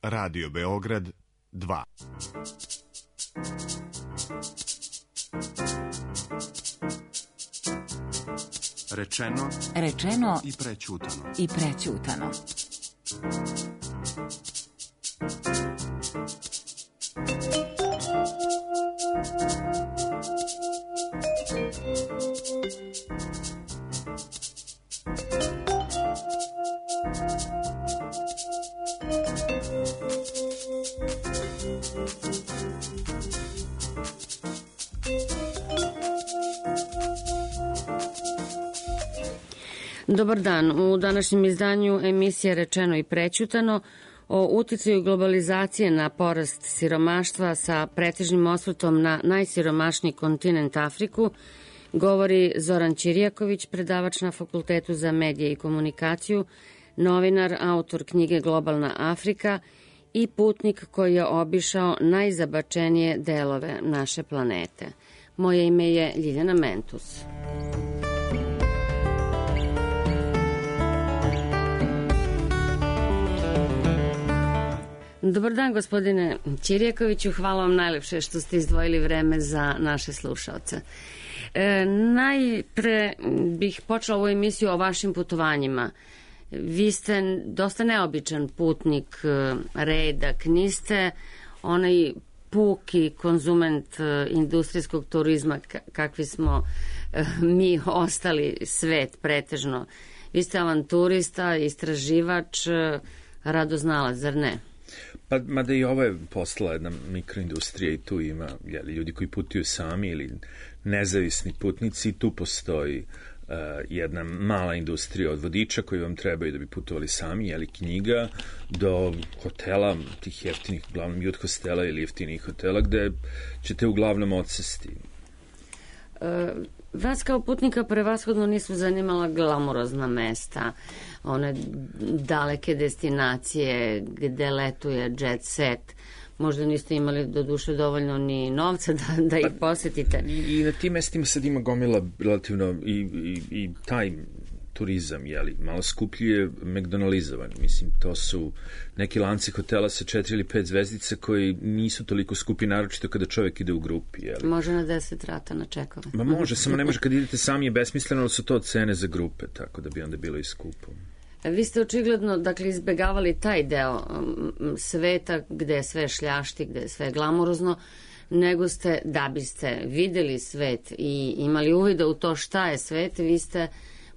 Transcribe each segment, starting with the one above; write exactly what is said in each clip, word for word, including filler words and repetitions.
Radio Beograd dva. Rečeno, Rečeno i prećutano. i prećutano. Dobar dan. U današnjem izdanju emisije Rečeno i prećutano o uticaju globalizacije na porast siromaštva sa pretežnim osvrtom na najsiromašniji kontinent Afriku govori Zoran Ćirijaković, predavač na Fakultetu za medije i komunikaciju, novinar, autor knjige Globalna Afrika i putnik koji je obišao najzabačenije delove naše planete. Moje ime je Ljiljana Mentus. Dobar dan, gospodine Ćirijakoviću. Hvala vam najlepše što ste izdvojili vreme za naše slušaoce. E, najpre bih počela ovu emisiju o vašim putovanjima. Vi ste dosta neobičan putnik, redak, niste onaj puki konzument industrijskog turizma kakvi smo mi ostali svet pretežno. Vi ste avanturista, istraživač, radoznalac, zar ne? Pa, mada i ovo je postala jedna mikroindustrija i tu ima jeli, ljudi koji putuju sami ili nezavisni putnici i tu postoji uh, jedna mala industrija od vodiča koji vam trebaju da bi putovali sami, jeli knjiga, do hotela, tih jeftinih, uglavnom jut hostela ili jeftinih hotela gde ćete uglavnom odsesti. Uh, vas kao putnika prevashodno nisu zanimala glamurozna mesta, one daleke destinacije gde letuje jet set. Možda niste imali do duše dovoljno ni novca da, da ih posetite. I, i na tim mestima sad ima gomila relativno i, i, i taj turizam, jeli, malo skuplji je McDonaldizovan. Mislim, to su neki lanci hotela sa četiri ili pet zvezdica koji nisu toliko skupi, naročito kada čovek ide u grupi, jeli. Može na deset rata na čekove. Ma može, samo ne može kad idete sami je besmisleno, ali su to cene za grupe, tako da bi onda bilo i skupo. Vi ste očigledno, dakle, izbegavali taj deo sveta gde je sve šljašti, gde je sve glamurozno, nego ste, da biste videli svet i imali uvida u to šta je svet, vi ste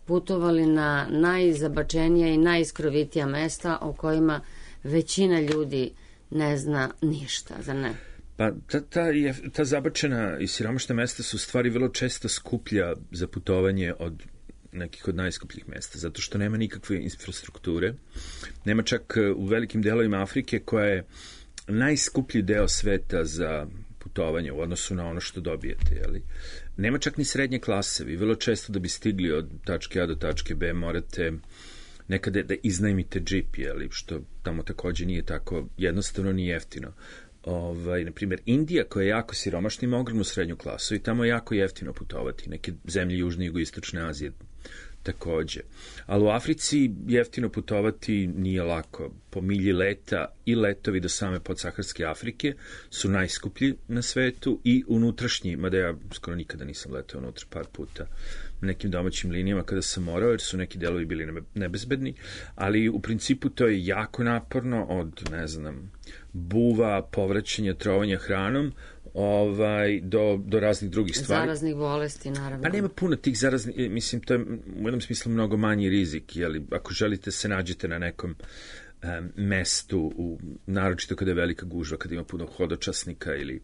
putovali na najzabačenija i najiskrovitija mesta o kojima većina ljudi ne zna ništa, zar ne? Pa ta, ta, je, ta zabačena i siromašna mesta su stvari vrlo često skuplja za putovanje od nekih od najskupljih mesta, zato što nema nikakve infrastrukture. Nema čak u velikim delovima Afrike koja je najskuplji deo sveta za putovanje u odnosu na ono što dobijete, jeli? Nema čak ni srednje klase. Vi vrlo često da bi stigli od tačke A do tačke B morate nekada da iznajmite džip, jeli? Što tamo takođe nije tako jednostavno ni jeftino. Ovaj, na primjer, Indija koja je jako siromašna ima ogromnu srednju klasu i tamo je jako jeftino putovati. Neke zemlje Južne i Jugoistočne Azije takođe. Ali u Africi jeftino putovati nije lako. Po milji leta i letovi do same podsaharske Afrike su najskuplji na svetu i unutrašnji, mada ja skoro nikada nisam letao unutra, par puta nekim domaćim linijama kada sam morao, jer su neki delovi bili nebezbedni, ali u principu to je jako naporno od, ne znam, buva, povraćanja, trovanja hranom, ovaj, do, do raznih drugih stvari. Zaraznih bolesti, naravno. Pa nema puno tih zaraznih, mislim, to je u jednom smislu mnogo manji rizik, jeli, ako želite se nađete na nekom um, mestu, u, naročito kada je velika gužva, kada ima puno hodočasnika ili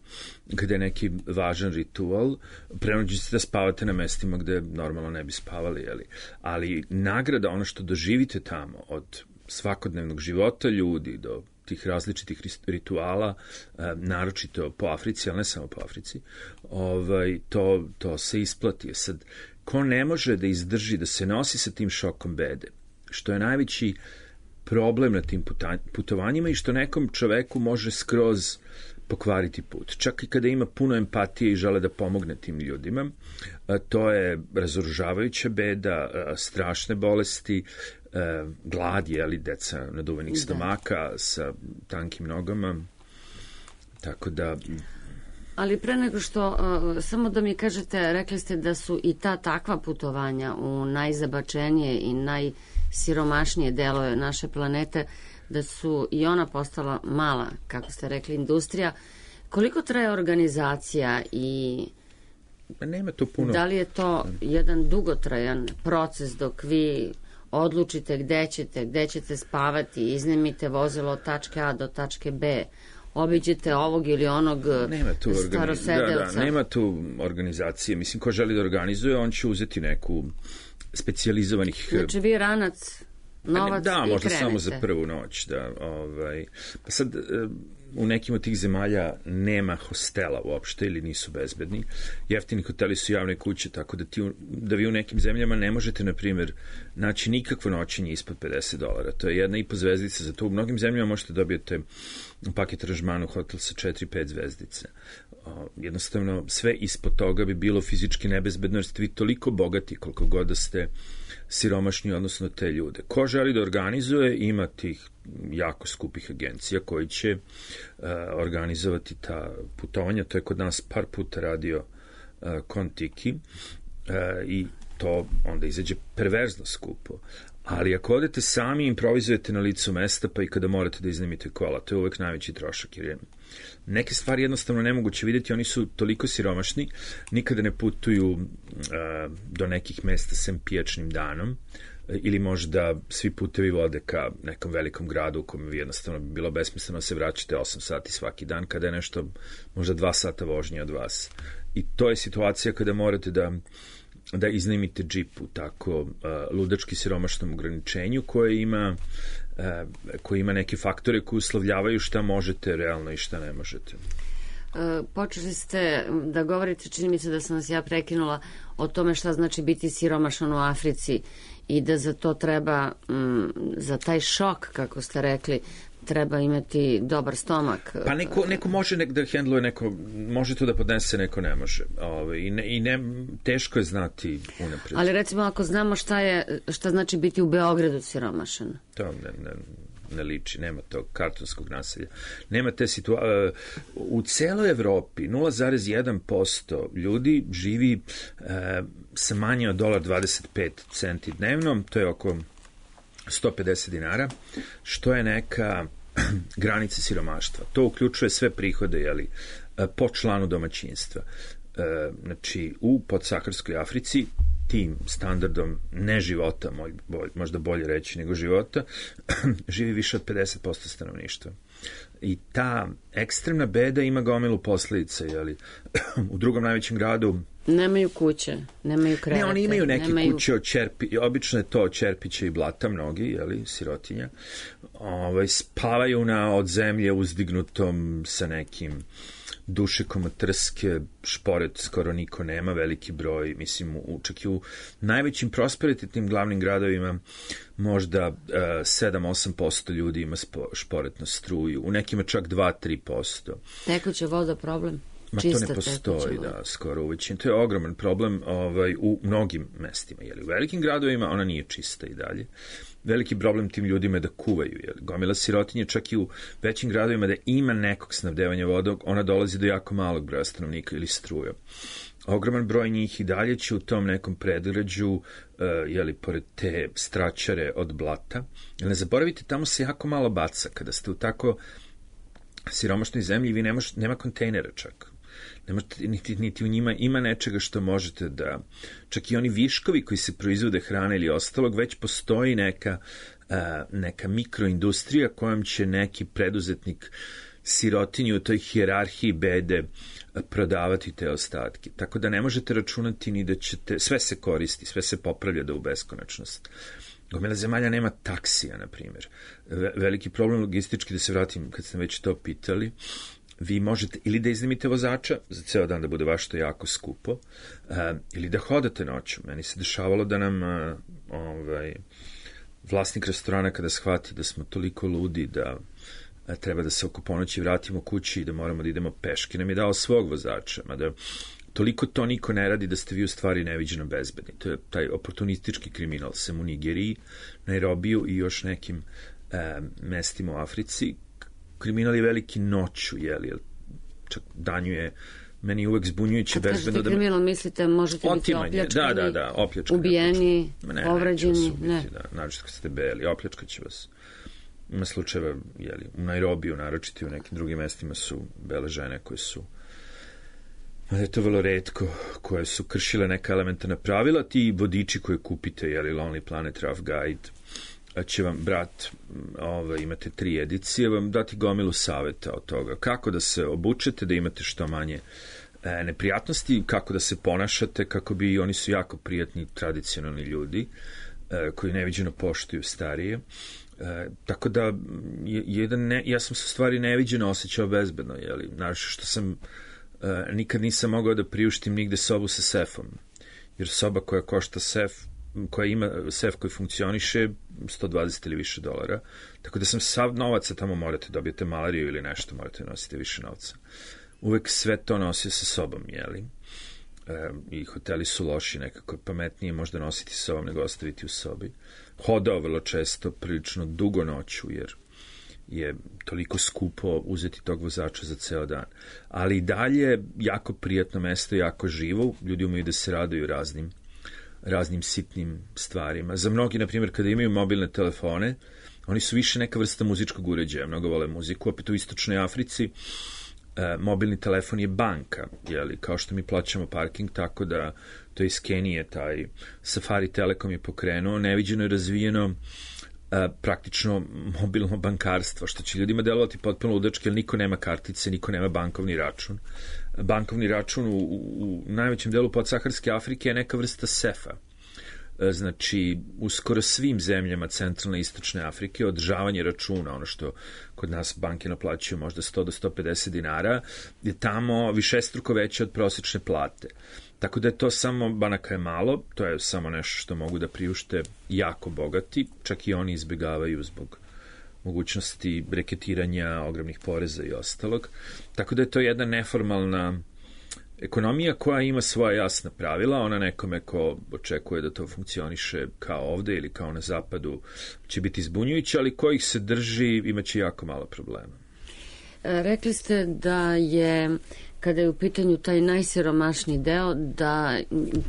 kada je neki važan ritual, prenađite da spavate na mestima gde normalno ne bi spavali, jeli. Ali nagrada, ono što doživite tamo od svakodnevnog života ljudi do tih različitih rituala, naročito po Africi, ali ne samo po Africi, ovaj, to, to se isplati. Sad, ko ne može da izdrži, da se nosi sa tim šokom bede, što je najveći problem na tim putovanjima i što nekom čoveku može skroz pokvariti put. Čak i kada ima puno empatije i žele da pomogne tim ljudima, to je razoružavajuća beda, strašne bolesti, glad je, ali deca naduvanih stomaka sa tankim nogama, tako da... Ali pre nego što, uh, samo da mi kažete, rekli ste da su i ta takva putovanja u najzabačenije i najsiromašnije delove naše planete, da su i ona postala mala, kako ste rekli, industrija. Koliko traje organizacija i nema to puno. Da li je to jedan dugotrajan proces dok vi odlučite gde ćete, gde ćete spavati, iznemite vozilo od tačke A do tačke B, obiđete ovog ili onog nema tu starosedelca? Da, da, nema tu organizacije. Mislim, ko želi da organizuje, on će uzeti neku specijalizovanih... Znači vi ranac, novac da, i krenete. Da, možda samo za prvu noć. Da, ovaj. Pa sad, u nekim od tih zemalja nema hostela uopšte ili nisu bezbedni. Jeftini hoteli su javne kuće, tako da, ti, da vi u nekim zemljama ne možete, na primjer, naći nikakvo noćenje ispod pedeset dolara. To je jedna i po zvezdica. Zato u mnogim zemljama možete dobijete paket aranžmana u hotel sa četiri pet zvezdice. Jednostavno, sve ispod toga bi bilo fizički nebezbedno, jer ste vi toliko bogati koliko god da ste siromašni, odnosno te ljude. Ko želi da organizuje, ima tih jako skupih agencija koji će uh, organizovati ta putovanja. To je kod nas par puta radio uh, Kontiki uh, i to onda izađe perverzno skupo. Ali ako odete sami, improvizujete na licu mesta, pa i kada morate da iznajmite kola, to je uvek najveći trošak, jer je neke stvari jednostavno nemoguće vidjeti, oni su toliko siromašni, nikada ne putuju uh, do nekih mesta sem pijačnim danom, ili možda svi putevi vode ka nekom velikom gradu u kojem vi jednostavno bi bilo besmisleno se vraćate osam sati svaki dan, kada je nešto možda dva sata vožnje od vas. I to je situacija kada morate da da iznajmite džip u tako uh, ludački siromašnom ograničenju koje ima, uh, koje ima neke faktore koji uslovljavaju šta možete realno i šta ne možete. Uh, počeli ste da govorite, čini mi se da sam vas ja prekinula, o tome šta znači biti siromašan u Africi i da za to treba, um, za taj šok, kako ste rekli, treba imati dobar stomak. Pa neko, neko može nek da hendluje, neko može to da podnese, neko ne može. Ove, i, ne, i ne, teško je znati unapred. Ali recimo ako znamo šta je, šta znači biti u Beogradu siromašan. To ne, ne, ne liči, nema tog kartonskog naselja. Nema te situacije. U celoj Evropi nula zarez jedan posto ljudi živi e, sa manje od dolar dvadeset pet centi dnevno, to je oko sto pedeset dinara, što je neka granica siromaštva. To uključuje sve prihode, jeli, po članu domaćinstva. Znači, u podsaharskoj Africi tim standardom ne života, možda bolje reći nego života, živi više od pedeset posto stanovništva. I ta ekstremna beda ima gomilu posledica, jeli, u drugom najvećem gradu nemaju kuće, nemaju krevete. Ne, oni imaju neke nemaju... kuće od čerpi, obično je to od čerpića i blata, mnogi, jeli, sirotinja. Ovaj, spavaju na od zemlje uzdignutom sa nekim dušekom od trske, šporet skoro niko nema, veliki broj, mislim, u, čak i u najvećim prosperitetnim glavnim gradovima možda uh, sedam do osam posto ljudi ima spo, šporetnu struju, u nekima čak dva do tri posto. Tekuća voda problem? Ma to ne postoji, da, skoro u većini. To je ogroman problem ovaj, u mnogim mestima. Jeli, u velikim gradovima ona nije čista i dalje. Veliki problem tim ljudima je da kuvaju. Jeli. Gomila sirotinje čak i u većim gradovima da ima nekog snabdevanja vodom, ona dolazi do jako malog broja stanovnika ili struja. Ogroman broj njih i dalje će u tom nekom predgrađu, uh, jeli, pored te stračare od blata. Jel, ne zaboravite, tamo se jako malo baca. Kada ste u tako siromašnoj zemlji, vi nema, nema kontejnera čak. Ne možete, niti, niti u njima ima nečega što možete da... Čak i oni viškovi koji se proizvode hrane ili ostalog, već postoji neka, uh, neka mikroindustrija kojom će neki preduzetnik sirotinju u toj hijerarhiji bede prodavati te ostatke. Tako da ne možete računati ni da ćete... Sve se koristi, sve se popravlja da u beskonačnost. Gomila zemalja nema taksija, na primjer. Veliki problem logistički, da se vratim kad ste već to pitali, vi možete ili da iznajmite vozača za ceo dan da bude baš to jako skupo, uh, ili da hodate noću. Meni se dešavalo da nam uh, ovaj, vlasnik restorana kada shvati da smo toliko ludi da uh, treba da se oko ponoći vratimo kući i da moramo da idemo peške, nam je dao svog vozača, mada toliko to niko ne radi da ste vi u stvari neviđeno bezbedni. To je taj oportunistički kriminal, sem u Nigeriji, Nairobiju i još nekim e, mestima u Africi. Kriminal je veliki noću, jeli, čak danju je meni uvek zbunjujuće bezbedno. Kad kažete kriminal, mislite možete biti opljačkani, da, da, da, opljačkani, ubijeni, ne, povređeni? Ne, ne. Da, naročito kad ste beli, opljačkat će vas. Ima slučajeva, jeli, u Nairobiju, naročito i u nekim drugim mestima su bele žene koje su, ali je to vrlo retko, koje su kršile neka elementarna pravila. Ti vodiči koje kupite, jeli, Lonely Planet, Rough Guide, će vam, brat, ovaj, imate tri edicije, vam dati gomilu saveta od toga. Kako da se obučete, da imate što manje e, neprijatnosti, kako da se ponašate, kako bi, oni su jako prijatni, tradicionalni ljudi, e, koji neviđeno poštuju starije. E, tako da, jedan ne, ja sam se u stvari neviđeno osjećao bezbedno, jeli, naravno što sam, e, nikad nisam mogao da priuštim nigde sobu sa sefom, jer soba koja košta sef, koja ima sef koji funkcioniše sto dvadeset ili više dolara, tako da sam sav novaca tamo morate, dobijete malariju ili nešto, morate nositi više novca. Uvek sve to nosio sa sobom, jeli? E, i hoteli su loši, nekako pametnije možda nositi sa sobom nego ostaviti u sobi. Hodao vrlo često, prilično dugo noću, jer je toliko skupo uzeti tog vozača za ceo dan. Ali i dalje jako prijatno mesto, jako živo, ljudi umeju da se raduju raznim raznim sitnim stvarima. Za mnogi, na primjer, kada imaju mobilne telefone, oni su više neka vrsta muzičkog uređaja, mnogo vole muziku. Opet u Istočnoj Africi e, mobilni telefon je banka, jeli, kao što mi plaćamo parking, tako da to iz Kenije, taj Safari Telekom je pokrenuo, neviđeno je razvijeno e, praktično mobilno bankarstvo, što će ljudima delovati potpuno ludački, jer niko nema kartice, niko nema bankovni račun. Bankovni račun u, u, u najvećem delu podsaharske Afrike je neka vrsta sefa. Znači, u skoro svim zemljama centralne i istočne Afrike održavanje računa, ono što kod nas banke naplaćuju možda sto do sto pedeset dinara, je tamo višestruko veće od prosječne plate. Tako da je to samo, banaka je malo, to je samo nešto što mogu da priušte jako bogati, čak i oni izbjegavaju zbog mogućnosti reketiranja, ogromnih poreza i ostalog. Tako da je to jedna neformalna ekonomija koja ima svoja jasna pravila. Ona nekome ko očekuje da to funkcioniše kao ovde ili kao na zapadu će biti zbunjujuća, ali ko ih se drži imaće jako malo problema. Rekli ste da je, kada je u pitanju taj najsiromašniji deo, da,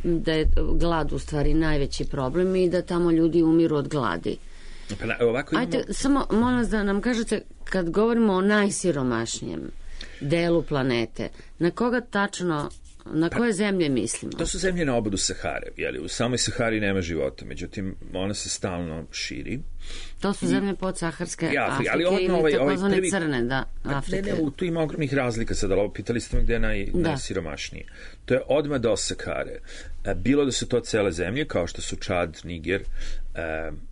da je glad u stvari najveći problem i da tamo ljudi umiru od gladi. Pa, ovako imamo... Ajde, samo molim vas da nam kažete, kad govorimo o najsiromašnijem delu planete, na koga tačno, na koje zemlje mislimo? To su zemlje na obodu Sahare, jeli, u samoj Sahari nema života, međutim, ona se stalno širi. To su zemlje podsaharske ja, Afrike ali ili ovaj, takozvane ovaj prvi... crne, da, Afrike. Ne, ne, tu ima ogromnih razlika sad, ali pitali ste me gde je naj, da. najsiromašnije. To je odmah do Sahare. Bilo da su to cele zemlje, kao što su Čad, Niger,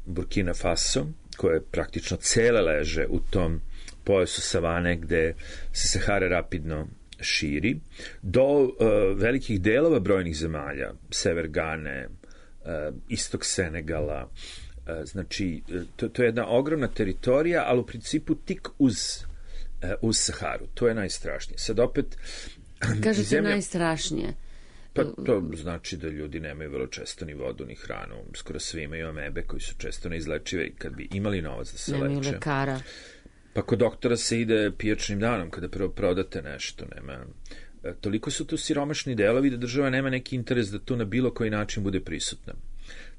Burkina Faso, koje praktično cele leže u tom pojasu savane gde se Sahara rapidno širi, do uh, velikih delova brojnih zemalja, sever Gane, uh, istok Senegala, uh, znači to, to je jedna ogromna teritorija, ali u principu tik uz, uh, uz Saharu. To je najstrašnije. Sad opet... Kažete zemlja... najstrašnije. Pa to znači da ljudi nemaju vrlo često ni vodu, ni hranu. Skoro svi imaju amebe koji su često neizlečive i kad bi imali novac da se leče. Nemaju lekara. Pa kod doktora se ide pijačnim danom kada prvo prodate nešto. Nema. E, toliko su tu siromašni delovi da država nema neki interes da tu na bilo koji način bude prisutna.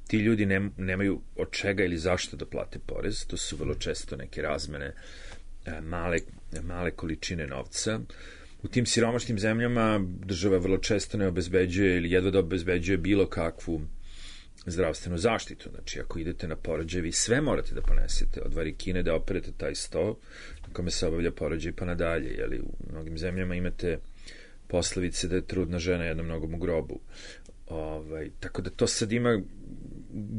Ti ljudi ne, nemaju od čega ili zašto da plate porez. To su vrlo često neke razmene, e, male, male količine novca. U tim siromašnim zemljama država vrlo često ne obezbeđuje ili jedva da obezbeđuje bilo kakvu zdravstvenu zaštitu. Znači, ako idete na porođaj, vi sve morate da ponesete. Od varikine da operete taj sto na kome se obavlja porođaj pa nadalje. Jeli, u mnogim zemljama imate poslovice da je trudna žena jednom nogom u grobu. Ovaj, tako da to sad ima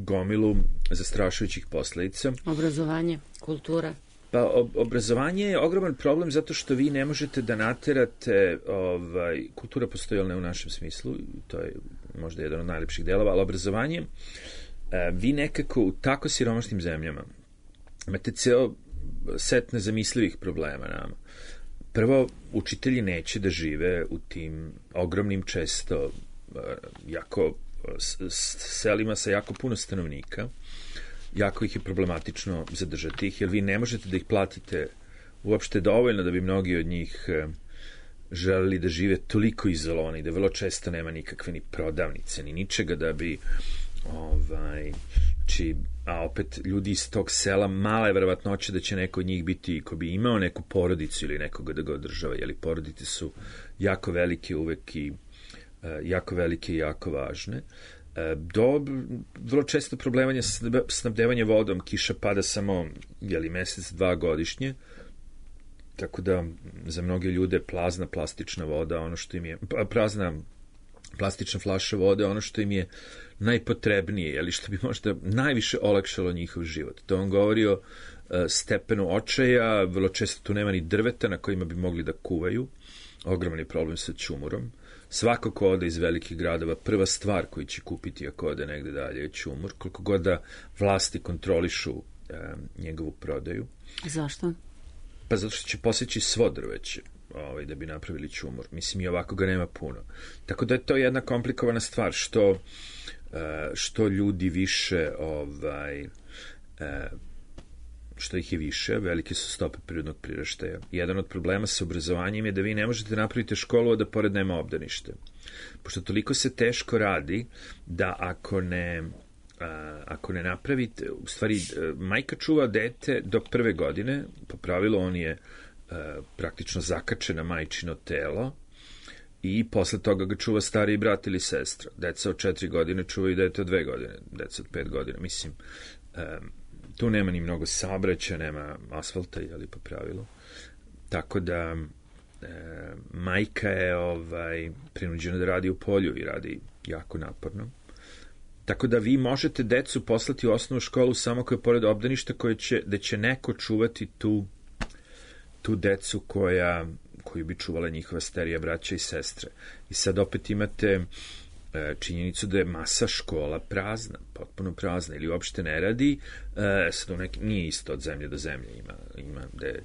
gomilu zastrašujućih posledica. Obrazovanje, kultura. Pa obrazovanje je ogroman problem zato što vi ne možete da naterate, ovaj, kultura postoji, ali ne u našem smislu, to je možda jedan od najlepših delova, ali obrazovanje, vi nekako u tako siromašnim zemljama imate ceo set nezamislivih problema nama. Prvo, učitelji neće da žive u tim ogromnim, često jako selima sa jako puno stanovnika. Jako ih je problematično zadržati ih, jer vi ne možete da ih platite uopšte dovoljno da bi mnogi od njih želeli da žive toliko izolovani, da vrlo često nema nikakve ni prodavnice, ni ničega da bi ovaj, či, a opet ljudi iz tog sela, mala je verovatnoća da će neko od njih biti, ko bi imao neku porodicu ili nekoga da ga održava, jer porodice su jako velike uvek i jako velike i jako važne. Do vrlo često problemanja snabdevanje vodom, kiša pada samo jeli, mesec, dva godišnje, tako da za mnoge ljude plazna plastična voda, ono što im je, prazna plastična flaša vode, ono što im je najpotrebnije, jeli, što bi možda najviše olakšalo njihov život. To on govori o stepenu očaja, vrlo često tu nema ni drveta na kojima bi mogli da kuvaju, ogroman je problem sa ćumurom. Svako ko ode iz velikih gradova, prva stvar koju će kupiti ako ode negde dalje je ćumur, koliko god da vlasti kontrolišu e, njegovu prodaju. Zašto? Pa zato što će poseći svo drveće ovaj, da bi napravili ćumur. Mislim, i ovako ga nema puno. Tako da je to jedna komplikovana stvar, što, e, što ljudi više ovaj, e, što ih je više, velike su stope prirodnog priraštaja. Jedan od problema sa obrazovanjem je da vi ne možete napraviti školu, a da pored nema obdanište. Pošto toliko se teško radi da ako ne, a, ako ne napravite, u stvari, majka čuva dete do prve godine, po pravilu on je a, praktično zakačen na majčino telo i posle toga ga čuva stariji brat ili sestra. Deca od četiri godine čuvaju dete od dve godine, deca od pet godina. Mislim, a, tu nema ni mnogo saobraćaja, nema asfalta, ali po pravilu. Tako da e, majka je ovaj, prinuđena da radi u polju i radi jako naporno. Tako da vi možete decu poslati u osnovnu školu samo koja je pored obdaništa, koje će, da će neko čuvati tu, tu decu koja, koju bi čuvala njihova starija braća i sestre. I sad opet imate činjenicu da je masa škola prazna, potpuno prazna, ili uopšte ne radi, e, sad neki, nije isto od zemlje do zemlje, ima, ima da je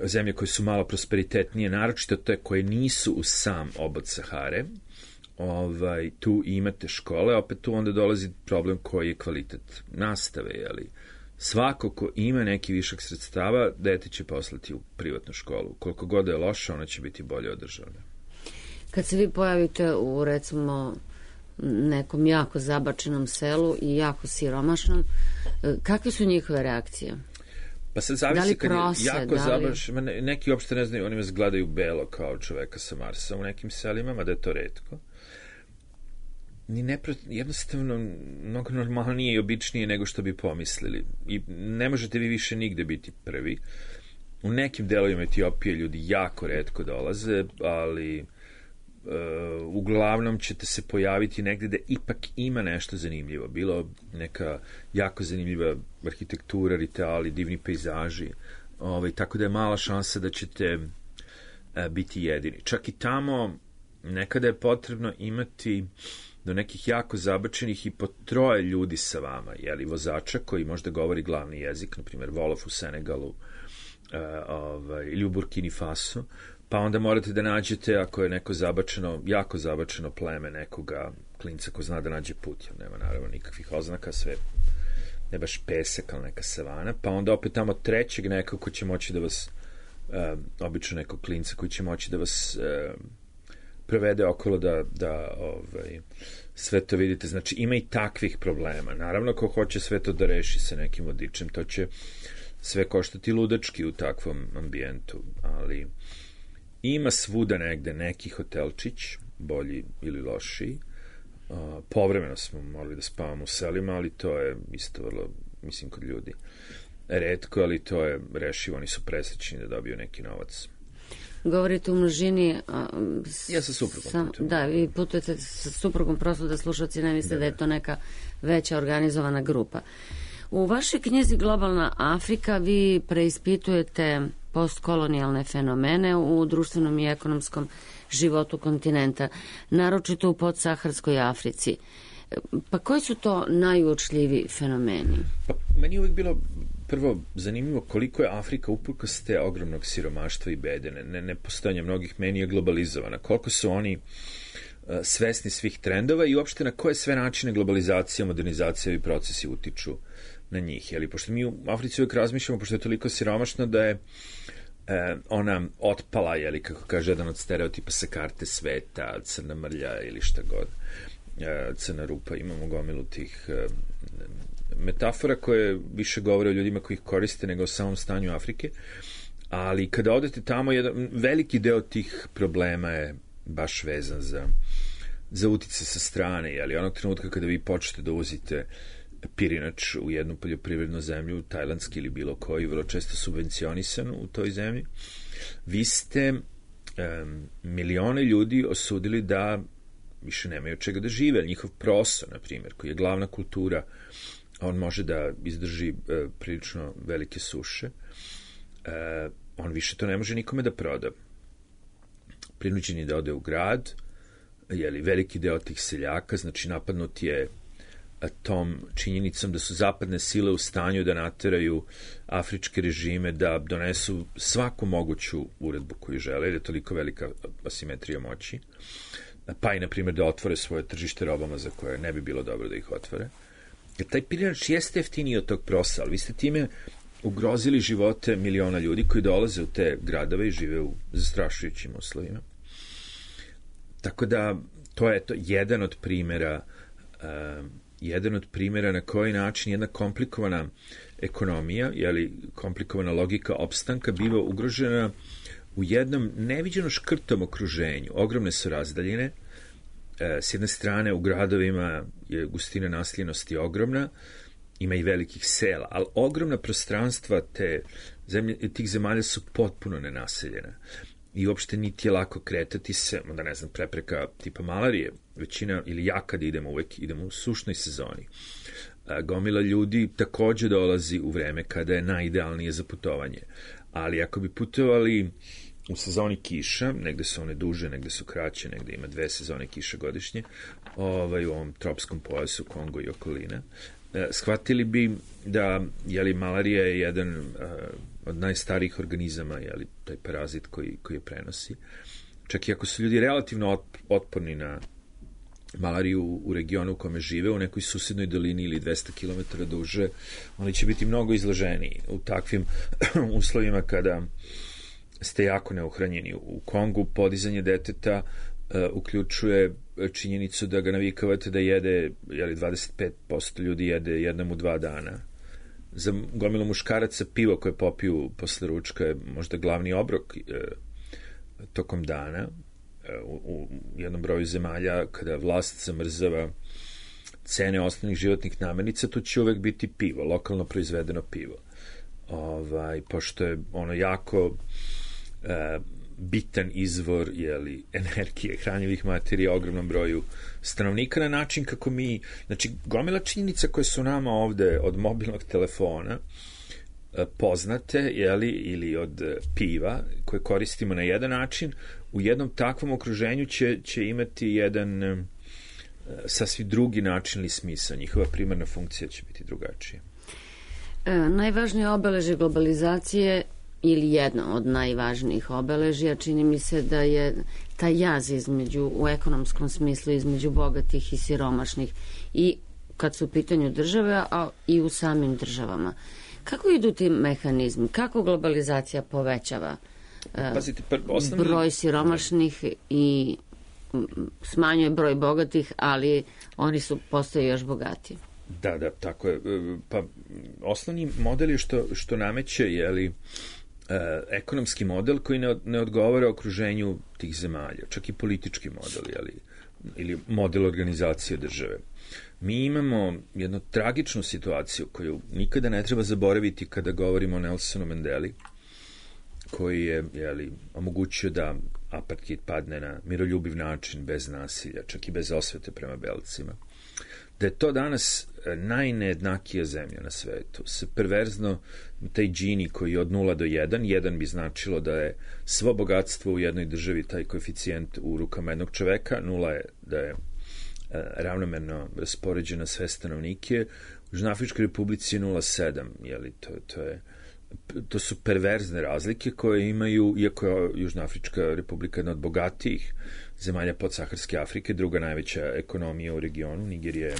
zemlje koje su malo prosperitetnije, naročito te koje nisu u sam obod Sahare, ovaj, tu imate škole, opet tu onda dolazi problem koji je kvalitet nastave, jeli. Svako ko ima neki višak sredstava, dete će poslati u privatnu školu. Koliko god je loša, ona će biti bolje održavana. Kad se vi pojavite u, recimo, nekom jako zabačenom selu i jako siromašnom, kakve su njihove reakcije? Pa sad zavisi, da li kad prose, je jako da li... zabačen, neki uopšte ne znaju, oni vas gledaju belo kao čoveka sa Marsa u nekim selima, mada je to retko. Ni nepro... Jednostavno, mnogo normalnije i običnije nego što bi pomislili. I ne možete vi više nigde biti prvi. U nekim delovima Etiopije ljudi jako retko dolaze, ali... Uh, uglavnom ćete se pojaviti negde da ipak ima nešto zanimljivo. Bilo neka jako zanimljiva arhitektura, rituali, divni pejzaži. Ovaj, tako da je mala šansa da ćete uh, biti jedini. Čak i tamo nekada je potrebno imati do nekih jako zabačenih i po troje ljudi sa vama, jeli vozača koji možda govori glavni jezik, na primjer Wolof u Senegalu uh, ovaj, ili u Burkini Faso. Pa onda morate da nađete, ako je neko zabačeno, jako zabačeno pleme nekoga klinca ko zna da nađe put, jer nema naravno nikakvih oznaka, sve ne baš pesak, ali neka savana, pa onda opet tamo trećeg nekog ko će moći da vas, uh, obično nekog klinca koji će moći da vas uh, prevede okolo da, da ovaj, sve to vidite. Znači, ima i takvih problema. Naravno, ko hoće sve to da reši sa nekim vodičem, to će sve koštati ludački u takvom ambijentu, ali ima svuda negde neki hotelčić, bolji ili lošiji. Uh, povremeno smo morali da spavamo u selima, ali to je isto vrlo, mislim, kod ljudi retko, ali to je rešivo, oni su presrećni da dobiju neki novac. Govorite u množini... A, s, ja sa suprugom sam, putujem. Da, vi putujete sa suprugom, prosto da slušalci ne misle da, da je to neka veća organizovana grupa. U vašoj knjizi Globalna Afrika vi preispitujete postkolonijalne fenomene u društvenom i ekonomskom životu kontinenta, naročito u podsaharskoj Africi. Pa koji su to najuočljiviji fenomeni? Pa, meni je uvijek bilo prvo zanimljivo koliko je Afrika uprkos te ogromnog siromaštva i bede, ne, ne postojanja mnogih menija globalizovana, koliko su oni uh, svesni svih trendova i uopšte na koje sve načine globalizacija, modernizacija i procesi utiču na njih. Jeli? Pošto mi u Africi uvijek razmišljamo, pošto je toliko siromašno da je e, ona otpala, jeli, kako kaže jedan od stereotipa sa karte sveta, crna mrlja ili šta god, e, crna rupa, imamo gomilu tih e, metafora koje više govore o ljudima koji ih koriste nego o samom stanju Afrike, ali kada odete tamo, jedan veliki deo tih problema je baš vezan za, za utice sa strane, jeli, onog trenutka kada vi počnete da uvozite pirinač u jednu poljoprivrednu zemlju, tajlandski ili bilo koji, vrlo često subvencionisan u toj zemlji, vi ste um, milione ljudi osudili da više nemaju od čega da žive. Njihov proso, na primjer, koji je glavna kultura, on može da izdrži uh, prilično velike suše, uh, on više to ne može nikome da proda. Prinuđen je da ode u grad, jeli, veliki deo tih seljaka, znači napadnut je tom činjenicom da su zapadne sile u stanju da nateraju afričke režime da donesu svaku moguću uredbu koju žele, jer je toliko velika asimetrija moći, pa i, na primjer, da otvore svoje tržište robama za koje ne bi bilo dobro da ih otvore. Jer taj pirinač jeste jeftiniji od tog prosa, ali vi ste time ugrozili živote miliona ljudi koji dolaze u te gradove i žive u zastrašujućim uslovima. Tako da, to je to jedan od primjera um, jedan od primjera na koji način jedna komplikovana ekonomija, jeli, komplikovana logika opstanka biva ugrožena u jednom neviđeno škrtom okruženju. Ogromne su razdaljine. E, s jedne strane, u gradovima je gustina naseljenosti ogromna, ima i velikih sela, ali ogromna prostranstva te zemlje, tih zemalja su potpuno nenaseljena. I uopšte niti je lako kretati se, onda ne znam, prepreka tipa malarije, većina, ili ja kad idemo, uvek idemo u sušnoj sezoni. A, gomila ljudi takođe dolazi u vreme kada je najidealnije za putovanje. Ali ako bi putovali u sezoni kiša, negde su one duže, negde su kraće, negde ima dve sezone kiša godišnje, ovaj, u ovom tropskom pojasu Kongo i okolina, e, shvatili bi da, jeli, malarija je jedan a, od najstarijih organizama, jeli, taj parazit koji, koji je prenosi. Čak i ako su ljudi relativno otporni na malariju u regionu u kome žive, u nekoj susednoj dolini ili dvesta kilometara duže, oni će biti mnogo izloženiji u takvim uslovima kada ste jako neuhranjeni. U Kongu podizanje deteta uh, uključuje činjenicu da ga navikavate da jede, jeli, dvadeset pet posto ljudi jede jednom u dva dana. Za gomilu muškaraca pivo koje popiju posle ručka je možda glavni obrok e, tokom dana. E, u, u jednom broju zemalja, kada vlast zamrzava cene osnovnih životnih namirnica, to će uvek biti pivo, lokalno proizvedeno pivo. Ovaj, pošto je ono jako e, bitan izvor, jeli, energije, hranjivih materija ogromnom broju stanovnika, na način kako mi, znači, gomila činjenica koje su nama ovde od mobilnog telefona poznate, jeli, ili od piva koje koristimo na jedan način, u jednom takvom okruženju će, će imati jedan uh, sasvim drugi način ili smisao. Njihova primarna funkcija će biti drugačija. E, najvažnije obeležje globalizacije ili jedno od najvažnijih obeležja, čini mi se da je taj jaz između, u ekonomskom smislu, između bogatih i siromašnih, i kad su u pitanju države, a i u samim državama. Kako idu ti mehanizmi? Kako globalizacija povećava uh, Pazite, pa, osnovni... broj siromašnih i smanjuje broj bogatih, ali oni su postaju još bogatiji? Da, da, tako je. Pa osnovni model je što, što nameće, jeli, ekonomski model koji ne, ne odgovara okruženju tih zemalja, čak i politički model, jeli, ili model organizacije države. Mi imamo jednu tragičnu situaciju koju nikada ne treba zaboraviti kada govorimo o Nelsonu Mandeli, koji je, jeli, omogućio da apartheid padne na miroljubiv način, bez nasilja, čak i bez osvete prema belcima. Da je to danas najnejednakija zemlja na svetu. Se perverzno, taj džini koji je od nula do jedan, jedan bi značilo da je svo bogatstvo u jednoj državi taj koeficijent u rukama jednog čoveka, nula je da je ravnomerno raspoređena sve stanovnike. Južnoafričkoj republici je nula zarez sedam, jeli, to, to je to su perverzne razlike koje imaju, iako je Južnoafrička republika jedna od bogatijih zemalja podsaharske Afrike, druga najveća ekonomija u regionu, Nigerija je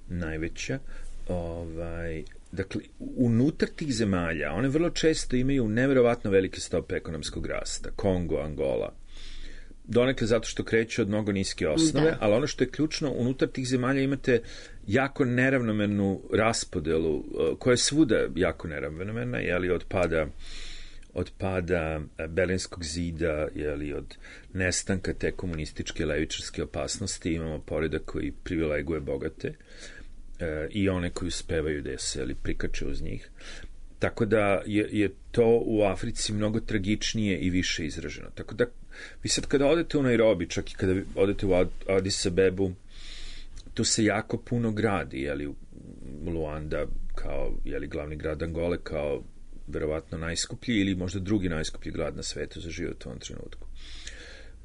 najveća. Ovaj, dakle, unutar tih zemalja, one vrlo često imaju neverovatno velike stope ekonomskog rasta. Kongo, Angola. Donekle zato što kreće od mnogo niske osnove, da. Ali ono što je ključno, unutar tih zemalja imate jako neravnomernu raspodelu, koja je svuda jako neravnomerna, jeli od pada, od pada Berlinskog zida, jeli od nestanka te komunističke levičarske opasnosti, imamo poredak koji privileguje bogate e, i one koji uspevaju da se jeli, prikače uz njih. Tako da je, je to u Africi mnogo tragičnije i više izraženo. Tako da vi sad kada odete u Nairobi, čak i kada odete u Addis Abebu, tu se jako puno gradi, jeli, Luanda kao, jeli, glavni grad Angole, kao verovatno najskuplji ili možda drugi najskuplji grad na svetu za život u ovom trenutku.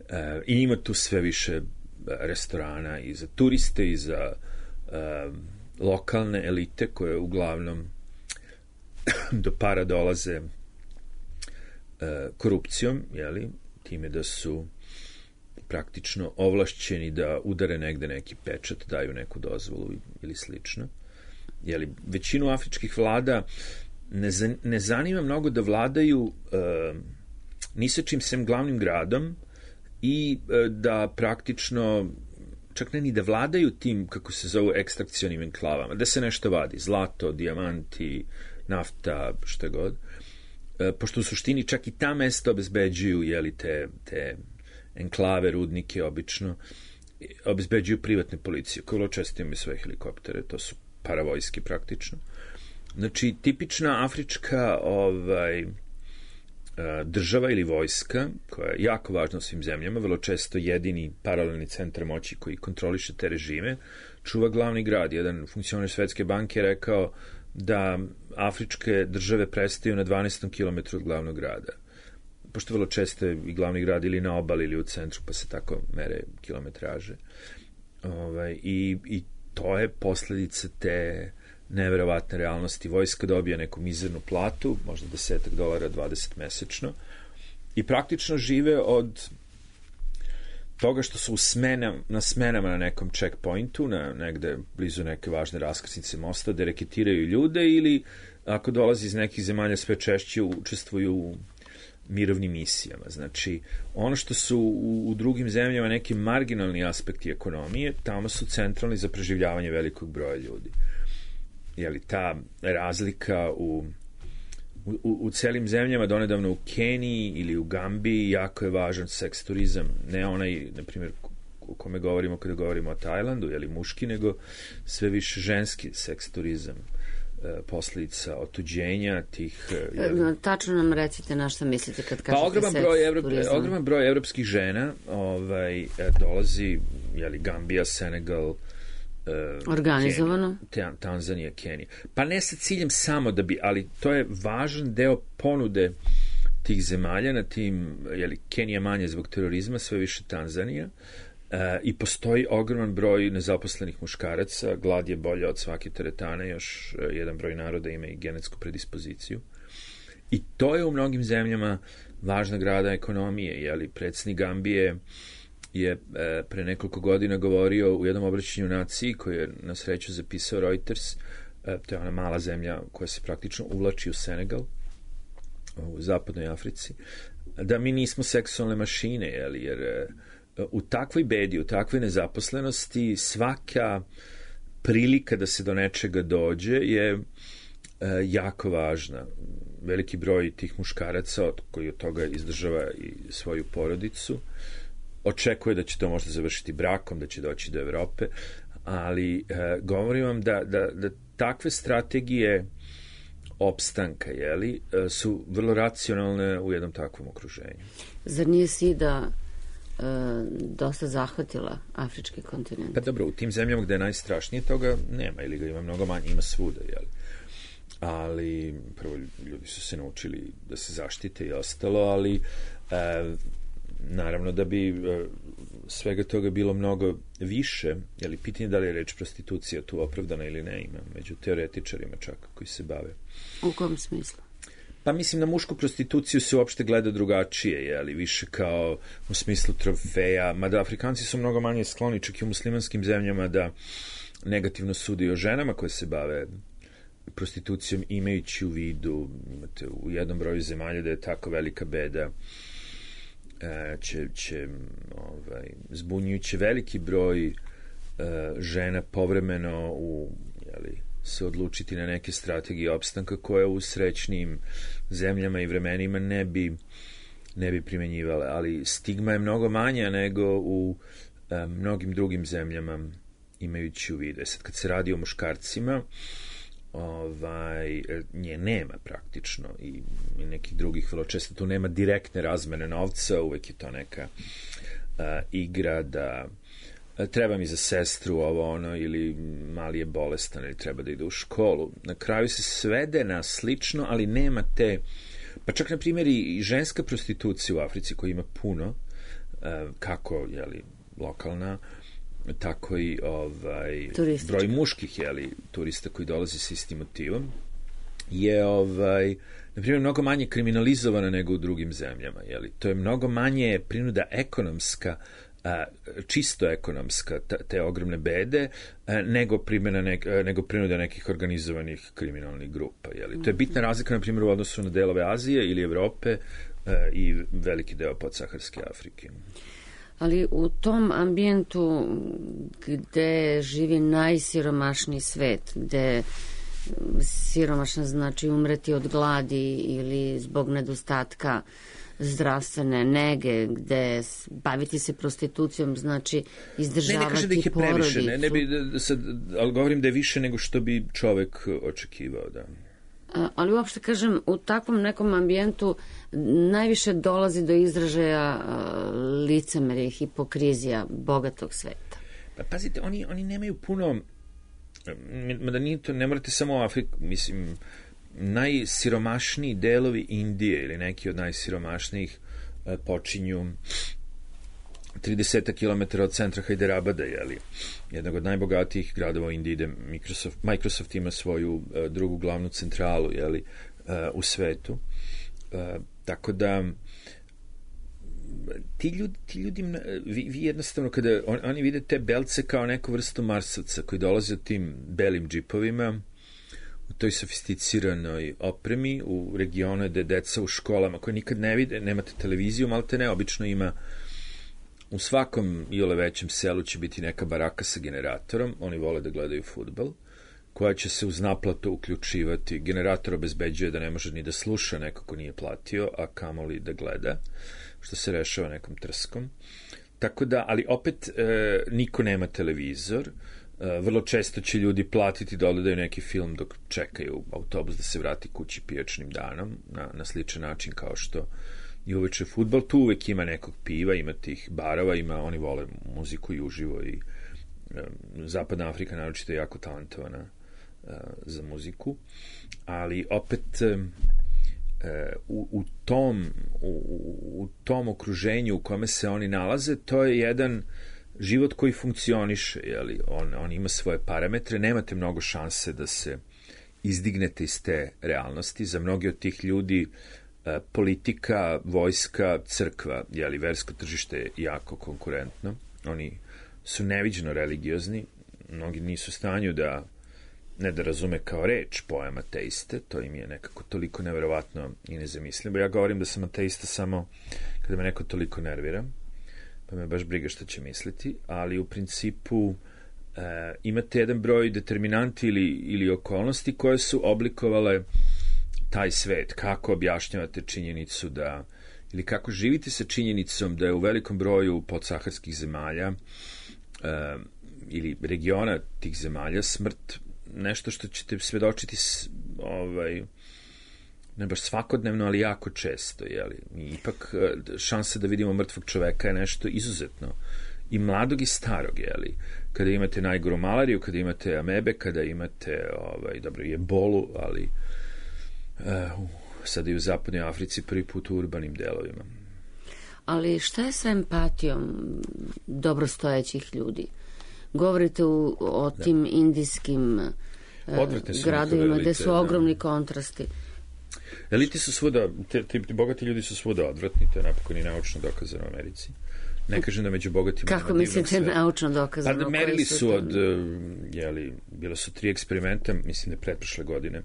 E, I ima tu sve više restorana i za turiste i za e, lokalne elite koje uglavnom do para dolaze e, korupcijom, jeli, time da su praktično ovlašćeni da udare negde neki pečat, daju neku dozvolu ili slično. Jeli, većinu afričkih vlada ne, zan, ne zanima mnogo da vladaju e, ni sa čim sem glavnim gradom i e, da praktično čak ne ni da vladaju tim, kako se zovu, ekstrakcionim enklavama, da se nešto vadi, zlato, dijamanti, nafta, šta god. E, pošto u suštini čak i ta mesta obezbeđuju, jeli, te, te enklave, rudnike, obično, obezbeđuju privatne policije, koje vrlo često imaju svoje helikoptere, to su paravojske praktično. Znači, tipična afrička ovaj, država ili vojska, koja je jako važna u svim zemljama, vrlo često jedini paralelni centar moći koji kontroliše te režime, čuva glavni grad. Jedan funkcioner Svetske banke je rekao da afričke države prestaju na dvanaestom kilometru od glavnog grada. Pošto vrlo često je i glavni grad ili na obali ili u centru, pa se tako mere kilometraže. Ovaj, i, I to je posledica te neverovatne realnosti. Vojska dobija neku mizernu platu, možda desetak dolara, dvadeset mesečno, i praktično žive od toga što su u smenam, na smenama na nekom checkpointu, na negde blizu neke važne raskrsnice mosta, da reketiraju ljude ili ako dolazi iz nekih zemalja sve češće učestvuju u mirovnim misijama. Znači, ono što su u, u drugim zemljama neki marginalni aspekti ekonomije, tamo su centralni za preživljavanje velikog broja ljudi. Jeli, ta razlika u, u, u celim zemljama, donedavno u Keniji ili u Gambiji, jako je važan seks turizam. Ne onaj, na primjer, o kome govorimo kada govorimo o Tajlandu, jeli muški, nego sve više ženski seks turizam. Posljedica otuđenja tih... Jeli... Tačno nam recite na što mislite kad kažete pa, ogroman seks broj Evrop, turizam. Ogroman broj evropskih žena ovaj, dolazi, jeli, Gambija, Senegal, organizovano? Kenija, Tanzanija, Kenija. Pa ne sa ciljem samo da bi, ali to je važan deo ponude tih zemalja na tim, jeli, Kenija manje zbog terorizma, sve više Tanzanija. E, i postoji ogroman broj nezaposlenih muškaraca, glad je bolja od svake teretane, još jedan broj naroda ima i genetsku predispoziciju. I to je u mnogim zemljama važna grada ekonomije, jeli, predsjednik Gambije je e, pre nekoliko godina govorio u jednom obraćanju naciji koji je na sreću zapisao Reuters, e, to je ona mala zemlja koja se praktično uvlači u Senegal, u zapadnoj Africi, da mi nismo seksualne mašine, jeli, jer e, u takvoj bedi, u takvoj nezaposlenosti svaka prilika da se do nečega dođe je e, jako važna. Veliki broj tih muškaraca koji od toga izdržava i svoju porodicu očekuje da će to možda završiti brakom, da će doći do Evrope, ali e, govorim vam da, da, da takve strategije opstanka, jeli, su vrlo racionalne u jednom takvom okruženju. Zar nije sida e, dosta zahvatila afrički kontinent? Pa dobro, u tim zemljama gde je najstrašnije toga nema, ili ga ima mnogo manje, ima svuda, jeli. Ali prvo ljudi su se naučili da se zaštite i ostalo, ali e, naravno da bi svega toga bilo mnogo više, je li pitanje da li je reč prostitucija tu opravdana ili ne, ima među teoretičarima čak koji se bave. U kom smislu? Pa mislim na mušku prostituciju se uopšte gleda drugačije, je li više kao u smislu trofeja, mada Afrikanci su mnogo manje skloni čak i u muslimanskim zemljama da negativno sudi o ženama koje se bave prostitucijom, imajući u vidu, imate u jednom broju zemalja da je tako velika beda, će, će ovaj, zbunjujući veliki broj uh, žena povremeno u, jeli, se odlučiti na neke strategije opstanka koje u srećnim zemljama i vremenima ne bi, ne bi primenjivale, ali stigma je mnogo manja nego u uh, mnogim drugim zemljama, imajući u vidu. Sad kad se radi o muškarcima, ovaj, nje nema praktično i, i nekih drugih, vrlo često tu nema direktne razmene novca, uvek je to neka uh, igra da uh, treba mi za sestru ovo ono, ili mali je bolestan ili treba da ide u školu. Na kraju se svede na slično, ali nema te, pa čak na primjer i ženska prostitucija u Africi koja ima puno, uh, kako jeli, lokalna, tako i ovaj, broj muških jeli, turista koji dolazi sa istim motivom je ovaj, na primjer mnogo manje kriminalizovana nego u drugim zemljama. Jeli. To je mnogo manje prinuda ekonomska, a, čisto ekonomska ta, te ogromne bede a, nego, primjena nek, a, nego prinuda nekih organizovanih kriminalnih grupa. Jeli. To je bitna razlika na primjer u odnosu na delove Azije ili Evrope a, i veliki deo podsaharske Afrike. Ali u tom ambijentu gde živi najsiromašniji svet, gde siromašna znači umreti od gladi ili zbog nedostatka zdravstvene nege, gde baviti se prostitucijom znači izdržavati porodicu. Ne, ne kažem da ih je previše, ne, ne bi, da, sad, ali govorim da je više nego što bi čovek očekivao, da. Ali uopšte kažem, u takvom nekom ambijentu najviše dolazi do izražaja licemerja i hipokrizija bogatog sveta. Pa pazite, oni, oni nemaju puno, mada nije to, ne morate samo u Afriku, mislim, najsiromašniji delovi Indije ili neki od najsiromašnijih počinju trideset kilometara od centra Hajderabada, jeli, jednog od najbogatijih gradova u Indiji, gde Microsoft, Microsoft ima svoju uh, drugu glavnu centralu, jeli, uh, u svetu. Uh, tako da ti ljudi, ti ljudi vi, vi jednostavno kada on, oni vide te belce kao neku vrstu marsovca koji dolaze od tim belim džipovima u toj sofisticiranoj opremi u regionu gde deca u školama koje nikad ne vide, nemate televiziju, malte ne, obično ima u svakom iole većem selu će biti neka baraka sa generatorom, oni vole da gledaju fudbal, koja će se uz naplatu uključivati. Generator obezbeđuje da ne može ni da sluša neko ko nije platio, a kamoli da gleda, što se rešava nekom trskom. Tako da, ali opet e, niko nema televizor, e, vrlo često će ljudi platiti da odgledaju neki film dok čekaju autobus da se vrati kući pijačnim danom, na, na sličan način kao što i uveče fudbal, tu uvek ima nekog piva, ima tih barova, ima, oni vole muziku i uživo i e, Zapadna Afrika naročito je jako talentovana e, za muziku, ali opet e, u, u, tom, u, u tom okruženju u kome se oni nalaze, to je jedan život koji funkcioniše, jeli? On, on ima svoje parametre, nemate mnogo šanse da se izdignete iz te realnosti, za mnogi od tih ljudi politika, vojska, crkva, jeli, versko tržište je jako konkurentno. Oni su neviđeno religiozni, mnogi nisu u stanju da, ne da razume kao reč pojam ateiste, to im je nekako toliko neverovatno i nezamislivo. Ja govorim da sam ateista samo kada me neko toliko nervira, pa me baš briga šta će misliti, ali u principu e, imate jedan broj determinanti ili, ili okolnosti koje su oblikovale taj svet. Kako objašnjavate činjenicu da, ili kako živite sa činjenicom da je u velikom broju podsaharskih zemalja e, ili regiona tih zemalja smrt nešto što ćete svedočiti s, ovaj, ne baš svakodnevno, ali jako često, jeli? I ipak šansa da vidimo mrtvog čoveka je nešto izuzetno. I mladog i starog, jeli? Kada imate najgoru malariju, kada imate amebe, kada imate, ovaj, dobro, ebolu, ali uh, sada i u zapadnoj Africi prvi put u urbanim delovima. ali šta je sa empatijom dobrostojećih ljudi? Govorite u, o tim da. indijskim gradovima gde su ogromni da. kontrasti. Eliti su svuda, te, te, te bogati ljudi su svuda odvratni, to je napokon i naučno dokazano u Americi. Ne kažem da među bogatima... Kako mislite naučno dokazano? Pa merili su, su od, jeli, bilo su tri eksperimenta, mislim da pretprošle godine,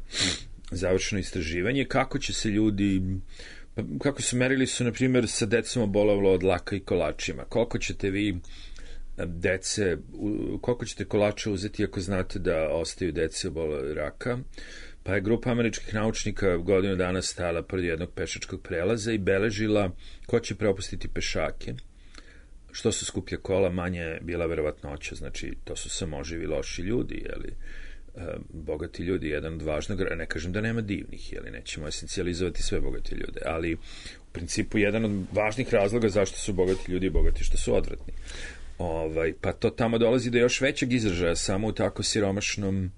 završeno istraživanje, kako će se ljudi... Pa, kako su merili su, na primjer, sa decom obolavalo od laka i kolačima. Koliko ćete vi dece, koliko ćete kolača uzeti ako znate da ostaju dece obolele raka? Pa je grupa američkih naučnika godinu dana stala pored jednog pešačkog prelaza i beležila ko će propustiti pešake. Što su skuplja kola, manje je bila verovatnoća, znači to su samo živi loši ljudi, jeli, e, bogati ljudi, jedan od važnog, ne kažem da nema divnih, jeli, nećemo esencijalizovati sve bogate ljude, ali u principu jedan od važnih razloga zašto su bogati ljudi bogati što su odvratni. Ovaj, pa to tamo dolazi do još većeg izražaja samo u tako siromašnom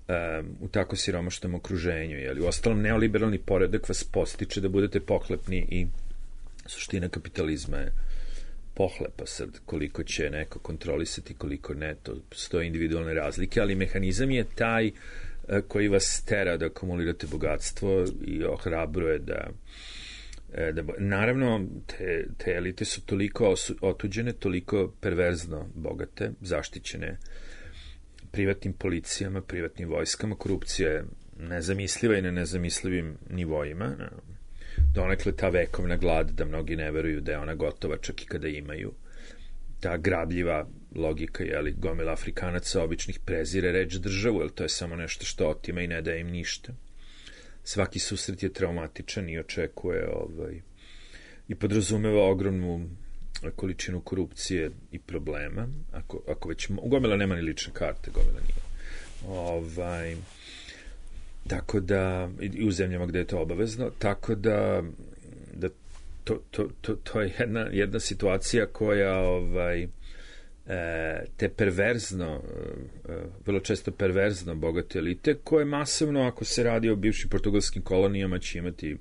Um, u tako siromašnom okruženju. Jeli. U ostalom, neoliberalni poredak vas postiče da budete pohlepni i suština kapitalizma je pohlepa. Sad, koliko će neko kontrolisati, koliko ne, to stoje individualne razlike, ali mehanizam je taj uh, koji vas tera da akumulirate bogatstvo i ohrabruje da, uh, da naravno, te, te elite su toliko otuđene, toliko perverzno bogate, zaštićene privatnim policijama, privatnim vojskama, korupcija je nezamisliva i na nezamislivim nivoima. Donekle ta vekovna glad da mnogi ne veruju da je ona gotova čak i kada imaju. Ta grabljiva logika, jeli, gomila Afrikanaca običnih prezire reč državu, jer to je samo nešto što otima i ne daje im ništa. Svaki susret je traumatičan i očekuje ovaj, i podrazumeva ogromnu količinu korupcije i problema, ako, ako već, gomila nema ni lične karte, gomila nije. Ovaj, tako da, i u zemljama gde je to obavezno, tako da, da to, to, to, to je jedna, jedna situacija koja ovaj, e, te perverzno, e, vrlo često perverzno bogate elite, koje masovno, ako se radi o bivšim portugalskim kolonijama, će imati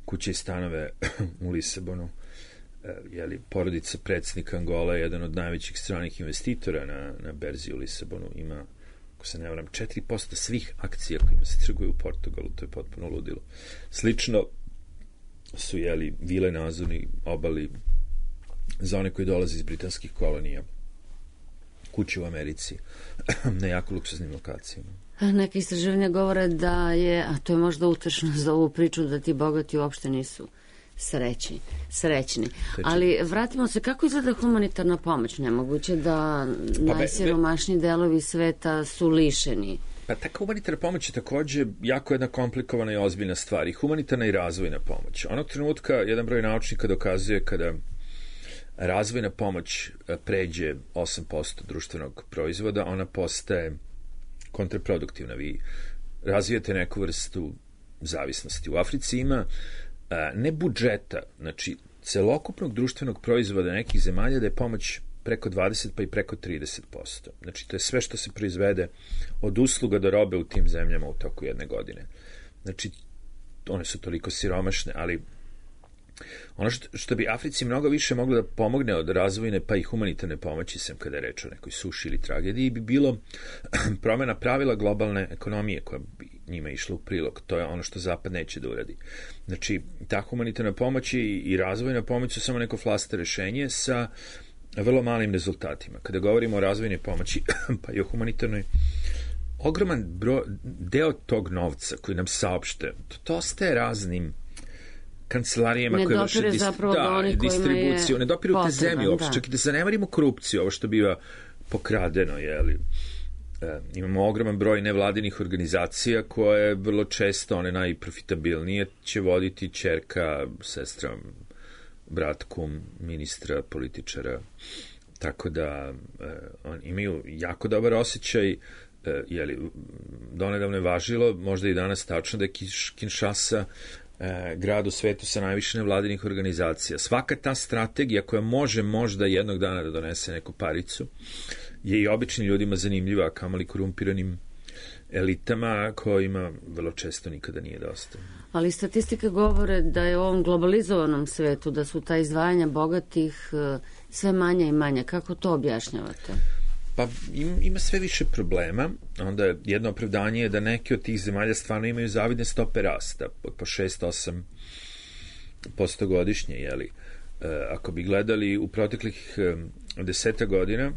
kuće i stanove u Lisabonu. Jeli, porodica predsjednika Angola je jedan od najvećih stranih investitora na, na berzi u Lisabonu. Ima, ako se ne varam, četiri posto svih akcija kojima se trguje u Portugalu. To je potpuno ludilo. Slično su, jeli, vile na Azurnoj obali za one koji dolaze iz britanskih kolonija, kuće u Americi, na jako luksuznim lokacijama. Neke istraživanja govore da je, a to je možda utešno za ovu priču, da ti bogati uopšte nisu srećni, srećni. Ali vratimo se, kako izgleda humanitarna pomoć? Nemoguće da pa najsiromašniji delovi sveta su lišeni. Pa ta humanitarna pomoć je takođe jako jedna komplikovana i ozbiljna stvar. I humanitarna i razvojna pomoć. Onog trenutka jedan broj naučnika dokazuje kada razvojna pomoć pređe osam posto društvenog proizvoda, ona postaje kontraproduktivna. Vi razvijete neku vrstu zavisnosti. U Africi ima ne budžeta, znači celokupnog društvenog proizvoda nekih zemalja da je pomoć preko dvadeset pa i preko trideset posto. Znači to je sve što se proizvede od usluga do robe u tim zemljama u toku jedne godine. Znači one su toliko siromašne, ali ono što, što bi Africi mnogo više moglo da pomogne od razvojne pa i humanitarne pomoći, sem kada je reč o nekoj suši ili tragediji, bi bilo promjena pravila globalne ekonomije koja bi njima išla u prilog. To je ono što Zapad neće da uradi. Znači, ta humanitarna pomoć i, i razvojna pomoć su samo neko flaster rešenje sa vrlo malim rezultatima. Kada govorimo o razvojnoj pomoći, pa i o humanitarnoj, ogroman bro, deo tog novca koji nam saopšte, to, to ostaje raznim kancelarijama koje vrše dist, da, distribuciju, ne dopiru te zemlje uopšte, čak i da zanemarimo korupciju, ovo što biva pokradeno, jeli. E, imamo ogroman broj nevladinih organizacija koje vrlo često, one najprofitabilnije, će voditi ćerka, sestra, brat, kum, ministra, političara, tako da e, on, imaju jako dobar osjećaj, e, jeli, donedavno je važilo, možda i danas tačno, da je Kinshasa e, grad u svetu sa najviše nevladinih organizacija. Svaka ta strategija koja može možda jednog dana da donese neku paricu je i običnim ljudima zanimljiva, a kamali korumpiranim elitama kojima vrlo često nikada nije dosta. Ali statistike govore da je u ovom globalizovanom svetu, da su ta izdvajanja bogatih sve manja i manja. Kako to objašnjavate? Pa ima sve više problema. Onda jedno opravdanje je da neke od tih zemalja stvarno imaju zavidne stope rasta, po šest do osam posto godišnje, jeli. Ako bi gledali u proteklih deseta godina,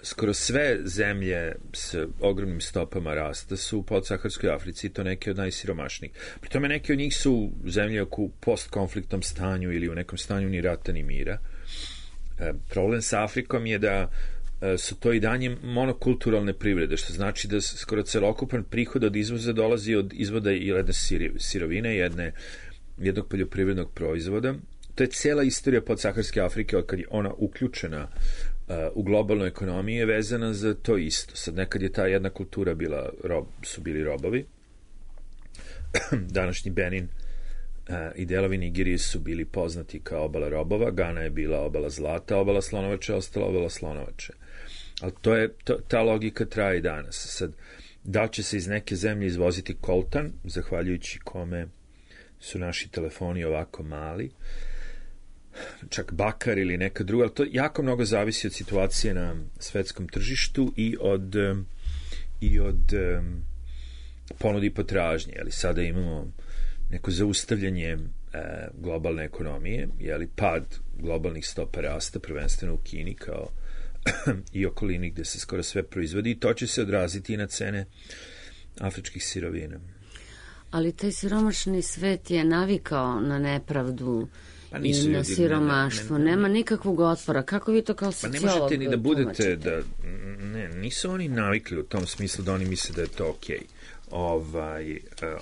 skoro sve zemlje s ogromnim stopama rasta su u podsaharskoj Africi, to neke od najsiromašnijih. Pri tome neke od njih su zemlje u postkonfliktnom stanju ili u nekom stanju ni rata ni mira. E, problem sa Afrikom je da e, su to i danje monokulturalne privrede, što znači da skoro celokupan prihod od izvoza dolazi od izvoda jedne sirovine, jedne, jednog poljoprivrednog proizvoda. To je cela istorija podsaharske Afrike od kad je ona uključena u globalnoj ekonomiji je vezana za to isto. Sad nekad je ta jedna kultura bila, rob, su bili robovi. Današnji Benin uh, i delovi Nigerije su bili poznati kao obala robova. Gana je bila obala zlata, obala slonovače, ostala obala slonovače. Ali to je, to, ta logika traje i danas. Sad, da li će se iz neke zemlje izvoziti koltan, zahvaljujući kome su naši telefoni ovako mali, čak bakar ili neka druga, ali to jako mnogo zavisi od situacije na svetskom tržištu i od, i od um, ponudi i potražnje. Jeli, sada imamo neko zaustavljanje e, globalne ekonomije, jeli, pad globalnih stopa rasta, prvenstveno u Kini kao i okolini gde se skoro sve proizvodi i to će se odraziti i na cene afričkih sirovina. Ali taj siromašni svet je navikao na nepravdu pa nisu i na ljudi, siromaštvo. Ne, ne, ne, nema nikakvog otpora. Kako vi to kao sociolog tumačite? Pa ne možete ni da budete, tumačite? da, ne, nisu oni navikli u tom smislu da oni misle da je to okej. Okay. Ovaj,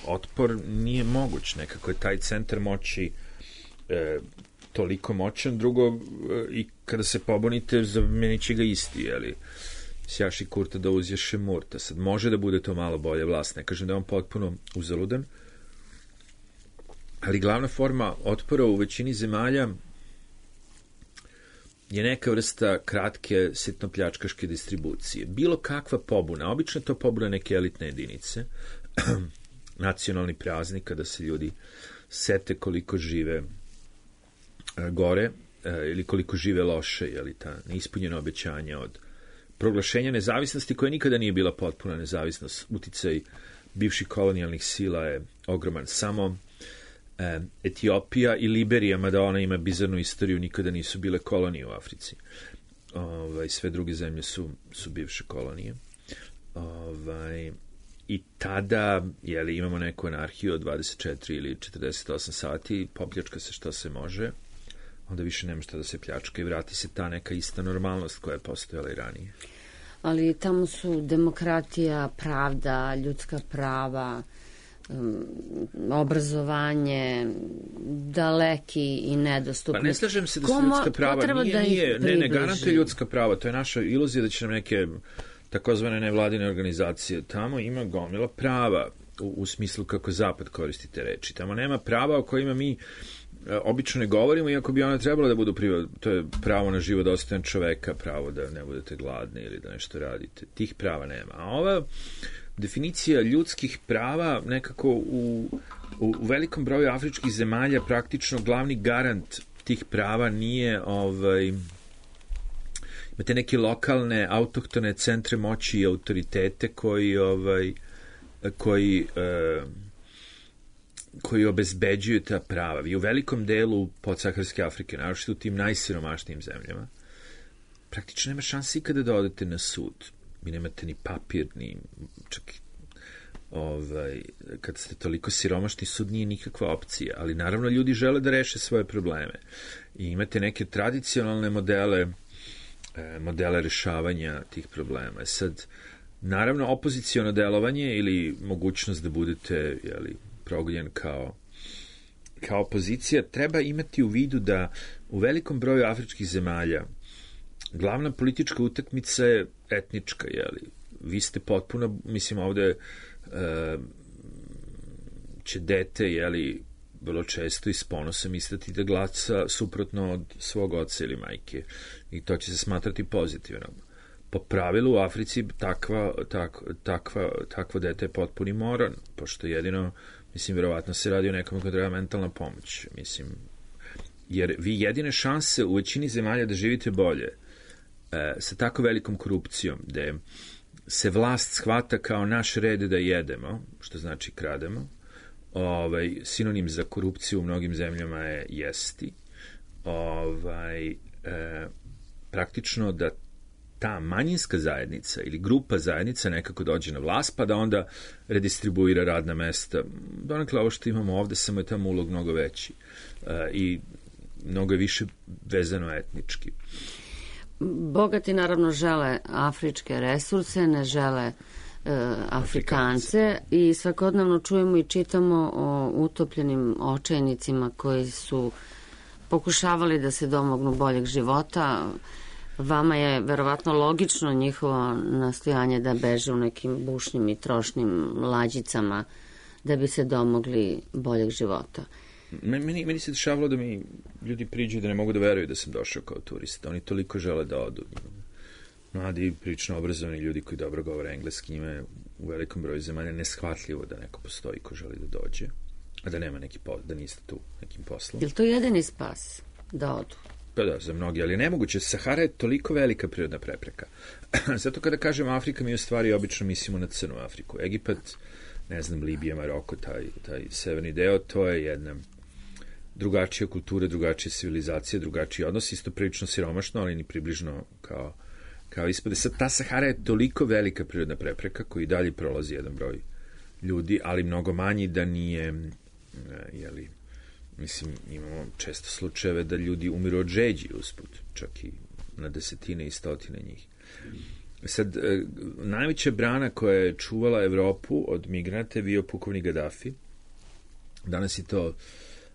otpor nije moguć. Nekako je taj centar moći e, toliko moćan. Drugo, e, i kada se pobunite, zamenit će ga isti, jeli? Sjaši Kurta da uzješe Murta. Sad može da bude to malo bolje vlast. Ne kažem da je on potpuno uzaludan. Ali glavna forma otpora u većini zemalja je neka vrsta kratke sitnopljačkaške distribucije. Bilo kakva pobuna, obično je to pobuna neke elitne jedinice, nacionalni praznik kada se ljudi sete koliko žive gore ili koliko žive loše, jeli ta neispunjena obećanja od proglašenja nezavisnosti koja nikada nije bila potpuna nezavisnost. Uticaj bivših kolonijalnih sila je ogroman. Samo e, Etiopija i Liberija, mada ona ima bizarnu istoriju, nikada nisu bile kolonije u Africi. Ovaj, sve druge zemlje su, su bivše kolonije. Ovaj, I tada, jeli, imamo neku anarhiju od dvadeset četiri ili četrdeset osam sati, popljačka se što se može, onda više nema šta da se pljačka i vrati se ta neka ista normalnost koja je postojala i ranije. Ali tamo su demokratija, pravda, ljudska prava, um, obrazovanje daleki i nedostupni. Pa ne slažem se da su ljudska prava, nije, da nije, ne, ne garantuje ljudska prava, to je naša iluzija da će nam neke takozvane nevladine organizacije, tamo ima gomila prava u, u smislu kako Zapad koristi te reči. Tamo nema prava o kojima mi obično ne govorimo, iako bi ona trebala da budu priva, to je pravo na život dostojan čoveka, pravo da ne budete gladni ili da nešto radite. Tih prava nema. A ova definicija ljudskih prava nekako u, u, u velikom broju afričkih zemalja praktično glavni garant tih prava nije ovaj, imate neke lokalne autohtone centre moći i autoritete koji ovaj, koji eh, koji obezbeđuju ta prava. Vi u velikom delu podsaharske Afrike, naročito u tim najsiromašnijim zemljama, praktično nema šanse ikada da odete na sud. Vi nemate ni papir, ni čak ovaj, kad ste toliko siromašni, sud nije nikakva opcija, ali naravno ljudi žele da reše svoje probleme. I imate neke tradicionalne modele modele rešavanja tih problema. Sad, naravno, opoziciono delovanje ili mogućnost da budete, jeli, progonjen kao, kao opozicija, treba imati u vidu da u velikom broju afričkih zemalja glavna politička utakmica je etnička, jeli. Vi ste potpuno, mislim, ovde e, će dete, jeli, vrlo često i s ponosom istati da glasa suprotno od svog oca ili majke i to će se smatrati pozitivno. po pravilu u Africi takva, tak, takva, takvo dete je potpuni moron, pošto jedino, mislim, verovatno se radi o nekom ko treba mentalna pomoć, mislim, jer vi jedine šanse u većini zemalja da živite bolje e, sa tako velikom korupcijom, gde se vlast shvata kao naš red da jedemo, što znači krademo, ovaj, sinonim za korupciju u mnogim zemljama je jesti, ovaj, e, praktično da ta manjinska zajednica ili grupa zajednica nekako dođe na vlast, pa da onda redistribuira radna mesta. Donekle ovo što imamo ovde, samo je tamo ulog mnogo veći e, i mnogo je više vezano etnički. Bogati naravno žele afričke resurse, ne žele e, Afrikance, Afrikance i svakodnevno čujemo i čitamo o utopljenim očajnicima koji su pokušavali da se domognu boljeg života. Vama je verovatno logično njihovo nastojanje da beže u nekim bušnim i trošnim lađicama da bi se domogli boljeg života. Meni, meni se dešavalo da mi ljudi priđu da ne mogu da veruju da sam došao kao turista. Oni toliko žele da odu. Mladi, prilično obrazovani ljudi koji dobro govore engleski, njima je u velikom broju zemalja neshvatljivo da neko postoji ko želi da dođe, a da nema neki posao, da niste tu nekim poslom. Je li to jedini spas da odu? Pa da, za mnogi, ali nemoguće. Sahara je toliko velika prirodna prepreka. Zato kada kažemo Afrika, mi u stvari obično mislimo na crnu Afriku. Egipat, ne znam, Libija, Maroko, taj, taj severni deo, to je jedna drugačija kultura, drugačija civilizacija, drugačiji odnos, isto prilično siromašno, ali ni približno kao, kao ispade. Sad, ta Sahara je toliko velika prirodna prepreka koji dalje prolazi jedan broj ljudi, ali mnogo manji da nije, jeli, mislim, imamo često slučajeve da ljudi umiru od žeđi usput, čak i na desetine i stotine njih. Sad, najveća brana koja je čuvala Evropu od migranata je bio pukovnik Gaddafi. Danas je to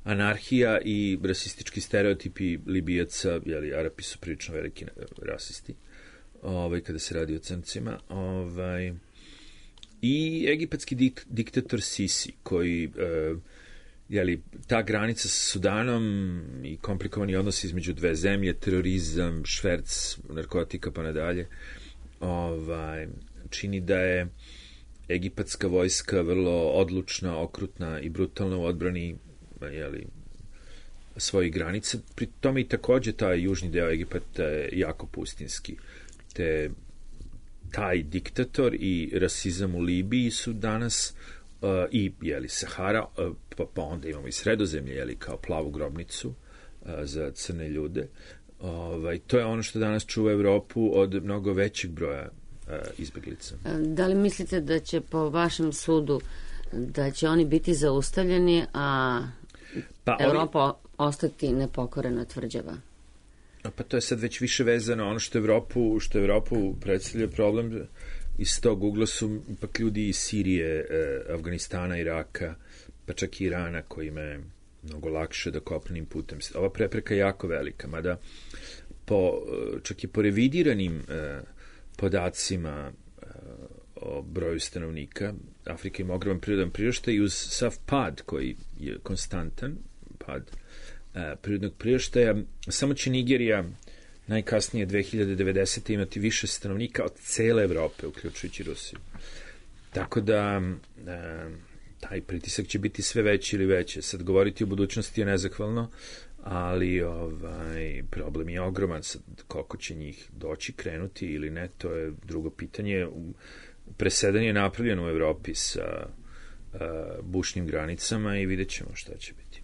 anarhija i rasistički stereotipi Libijaca, jeli, Arapi su prilično veliki rasisti, ovaj, kada se radi o crncima, ovaj, i egipatski dik, diktator Sisi, koji, eh, jeli, ta granica sa Sudanom i komplikovani odnos između dve zemlje, terorizam, šverc, narkotika pa nadalje, ovaj, čini da je egipatska vojska vrlo odlučna, okrutna i brutalna u odbrani, jeli, svojih granica. Pri tome i takođe taj južni deo Egipata je jako pustinski. Te taj diktator i rasizam u Libiji su danas uh, i, jeli, Sahara, uh, pa, pa onda imamo i Sredozemlje, jeli, kao plavu grobnicu uh, za crne ljude. Ovaj, to je ono što danas čuva Evropu od mnogo većeg broja uh, izbeglica. Da li mislite da će po vašem sudu da će oni biti zaustavljeni, a pa, Evropa ovi... ostati nepokorena tvrđava? Pa to je sad već više vezano. Ono što Evropu, što Evropu predstavlja problem iz tog ugla su ipak ljudi iz Sirije, eh, Afganistana, Iraka, pa čak i Irana, kojima je mnogo lakše da kopnenim putem. Ova prepreka je jako velika, mada po, čak i po revidiranim eh, podacima eh, o broju stanovnika, Afrika ima ogroman prirodan priraštaj i uz sav pad koji je konstantan, pad e, prirodnog priraštaja, samo će Nigerija najkasnije dve hiljade devedesete imati više stanovnika od cele Evrope, uključujući Rusiju. Tako da e, taj pritisak će biti sve veći ili veće. Sad govoriti o budućnosti je nezahvalno, ali ovaj, problem je ogroman. Sad, koliko će njih doći, krenuti ili ne, to je drugo pitanje. Presedan je napravljen u Evropi sa uh, bušnim granicama i vidjet ćemo šta će biti.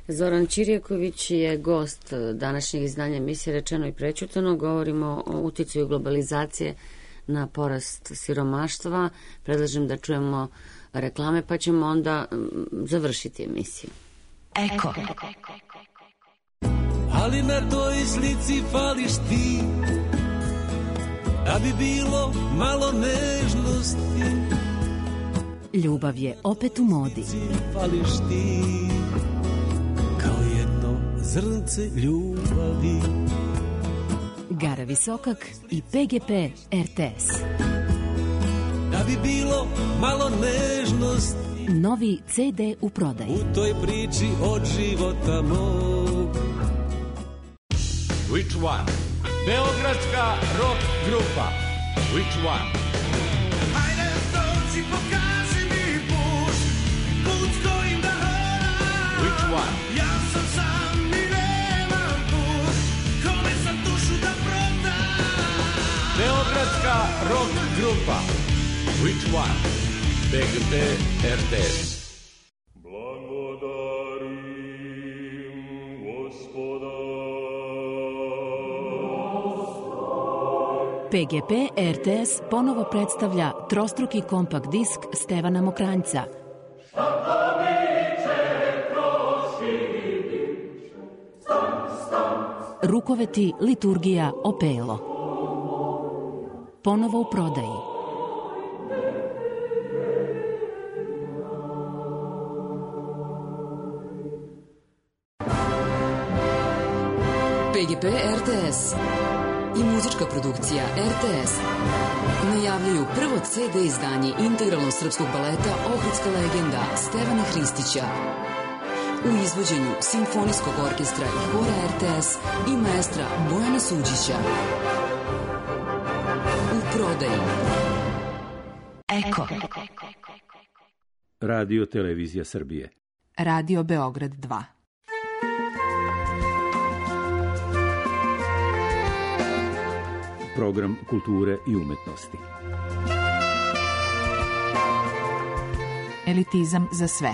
Zoran Čirjaković je gost današnjeg izdanja emisije Rečeno i prećutano. Govorimo o uticaju globalizacije na porast siromaštva. Predlažem da čujemo reklame, pa ćemo onda završiti emisiju. Eko. Ali na toj slici fališ ti, da bi bilo malo nežnosti. Ljubav je opet u modi. Fališ ti, kao jedno zrnce ljubavi. Gara Visokak i P G P R T S. Da bi bilo malo nežnosti. Novi C D u prodaji. U toj priči od života mog. Which one? Beogradska rock grupa Which One? Hajde dođi, pokaži mi put, put kojim da hodam. Which One? Ja sam sam i nemam put, kome sam dušu da prodam. Beogradska rock grupa Which One? B G P R T S. P G P R T S ponovo predstavlja trostruki kompakt disk Stevana Mokranjca. Rukoveti, liturgija, opelo. Ponovo u prodaji. P G P R T S i muzička produkcija R T S najavljuju prvo C D izdanje integralnog srpskog baleta Ohridska legenda Stevana Hristića u izvođenju Simfonijskog orkestra i hora R T S i maestra Bojana Suđića. U prodaji Eko. Radio Televizija Srbije. Radio Beograd dva. Program kulture i umetnosti. Elitizam za sve.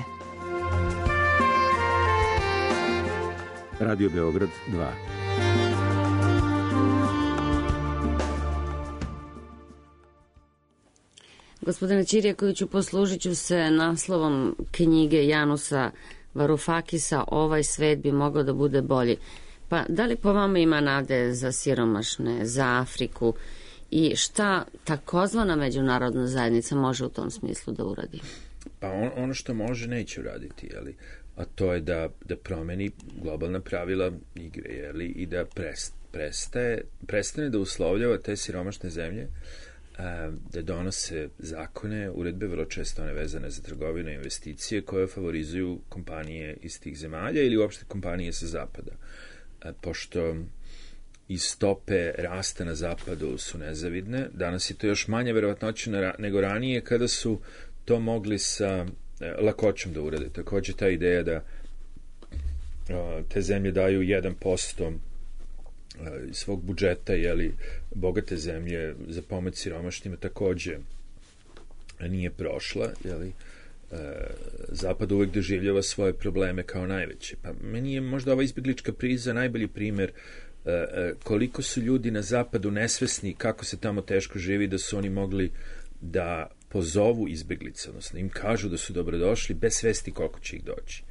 Radio Beograd dva. Gospodine Ćirjakoviću, poslužit ću se naslovom knjige Janusa Varufakisa Ovaj svet bi mogao da bude bolji. Pa da li po vama ima nade za siromašne, za Afriku i šta takozvana međunarodna zajednica može u tom smislu da uradi? Pa on, ono što može neće uraditi, jeli? A to je da, da promeni globalna pravila igre, jeli? I da prest, prestaje, prestane da uslovljava te siromašne zemlje, a, da donose zakone, uredbe, vrlo često one vezane za trgovinu i investicije koje favorizuju kompanije iz tih zemalja ili uopšte kompanije sa zapada. Pošto i stope rasta na zapadu su nezavidne, danas je to još manje verovatnoće nego ranije kada su to mogli sa lakoćom da urade. Takođe ta ideja da te zemlje daju jedan posto svog budžeta, jeli, bogate zemlje za pomoć siromašnjima takođe nije prošla, jeli. Zapad uvek doživljava svoje probleme kao najveće. Pa meni je možda ova izbjeglička kriza najbolji primer koliko su ljudi na zapadu nesvesni kako se tamo teško živi, da su oni mogli da pozovu izbjeglice, odnosno im kažu da su dobrodošli bez svesti koliko će ih doći.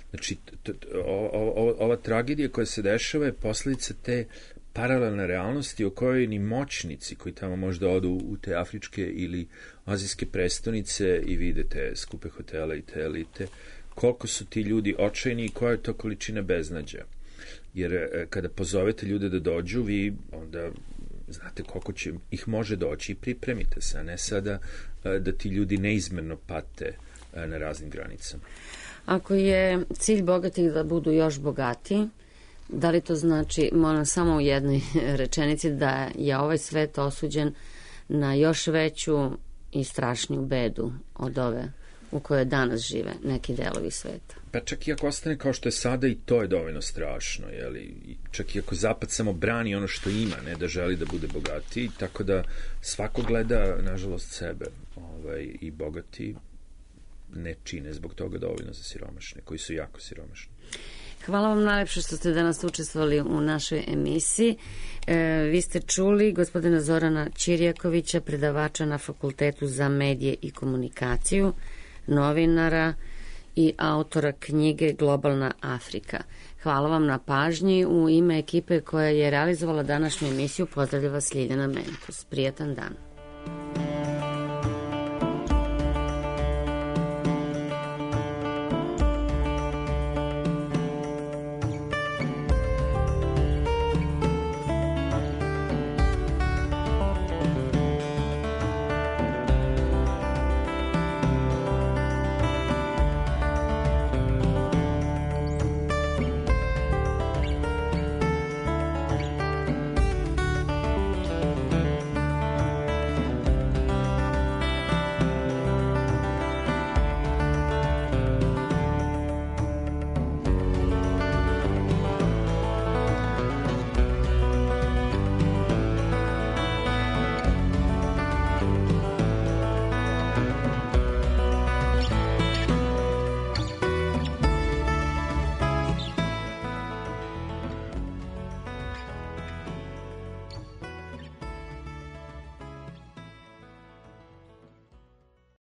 Znači, t, t, o, o, ova tragedija koja se dešava je posljedica te paralelne realnosti o kojoj ni moćnici koji tamo možda odu u te afričke ili azijske prestonice i vide te skupe hotele i te elite, koliko su ti ljudi očajni i koja je to količina beznađa. Jer kada pozovete ljude da dođu, vi onda znate koliko će ih može doći i pripremite se, a ne sada da ti ljudi neizmerno pate na raznim granicama. Ako je cilj bogatih da budu još bogatiji, da li to znači, moram samo u jednoj rečenici, da je ovaj svet osuđen na još veću i strašniju bedu od ove u kojoj danas žive neki delovi sveta? Pa čak i ako ostane kao što je sada, i to je dovoljno strašno, jeli? Čak i ako Zapad samo brani ono što ima, ne da želi da bude bogatiji, tako da svako gleda, nažalost, sebe, ovaj, i bogati ne čine zbog toga dovoljno za siromašne, koji su jako siromašni. Hvala vam najlepše što ste danas učestvovali u našoj emisiji. E, vi ste čuli gospodina Zorana Ćirjakovića, predavača na Fakultetu za medije i komunikaciju, novinara i autora knjige Globalna Afrika. Hvala vam na pažnji. U ime ekipe koja je realizovala današnju emisiju pozdravlja vas Ljiljana Menkus. Prijatan dan.